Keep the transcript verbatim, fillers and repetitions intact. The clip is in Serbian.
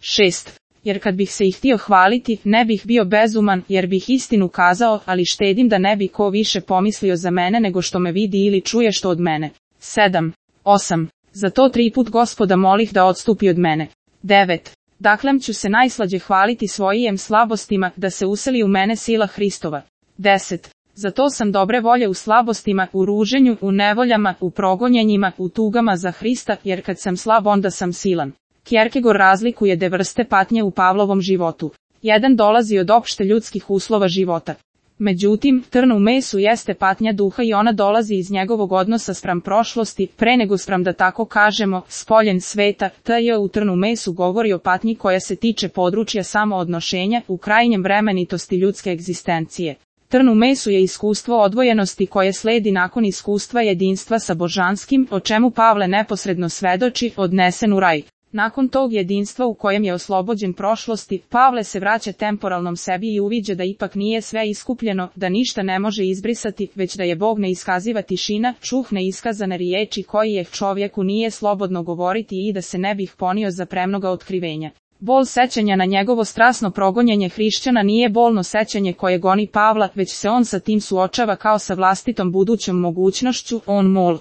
šest. Jer kad bih se ih htio hvaliti, ne bih bio bezuman, jer bih istinu kazao, ali štedim da ne bi ko više pomislio za mene nego što me vidi ili čuje što od mene. sedam. osam. Zato tri put Gospoda molih da odstupi od mene. devet. Daklem ću se najslađe hvaliti svojim slabostima, da se useli u mene sila Hristova. deset. Zato sam dobre volje u slabostima, u ruženju, u nevoljama, u progonjenjima, u tugama za Hrista, jer kad sam slab onda sam silan. Kierkegaard razlikuje de vrste patnje u Pavlovom životu. Jedan dolazi od opšte ljudskih uslova života. Međutim, trn u mesu jeste patnja duha i ona dolazi iz njegovog odnosa spram prošlosti, pre nego spram da tako kažemo, spoljen sveta. T.J. u trn u mesu govori o patnji koja se tiče područja samoodnošenja, u krajnjem vremenitosti ljudske egzistencije. Trn u mesu je iskustvo odvojenosti koje sledi nakon iskustva jedinstva sa božanskim, o čemu Pavle neposredno svedoči, odnesen u raj. Nakon tog jedinstva u kojem je oslobođen prošlosti, Pavle se vraća temporalnom sebi i uviđa da ipak nije sve iskupljeno, da ništa ne može izbrisati, već da je Bog neiskaziva tišina, čuh neiskazane riječi koji je čovjeku nije slobodno govoriti i da se ne bih ponio za premnoga otkrivenja. Bol sećanja na njegovo strasno progonjenje hrišćana nije bolno sećanje koje goni Pavla, već se on sa tim suočava kao sa vlastitom budućom mogućnošću, on mol.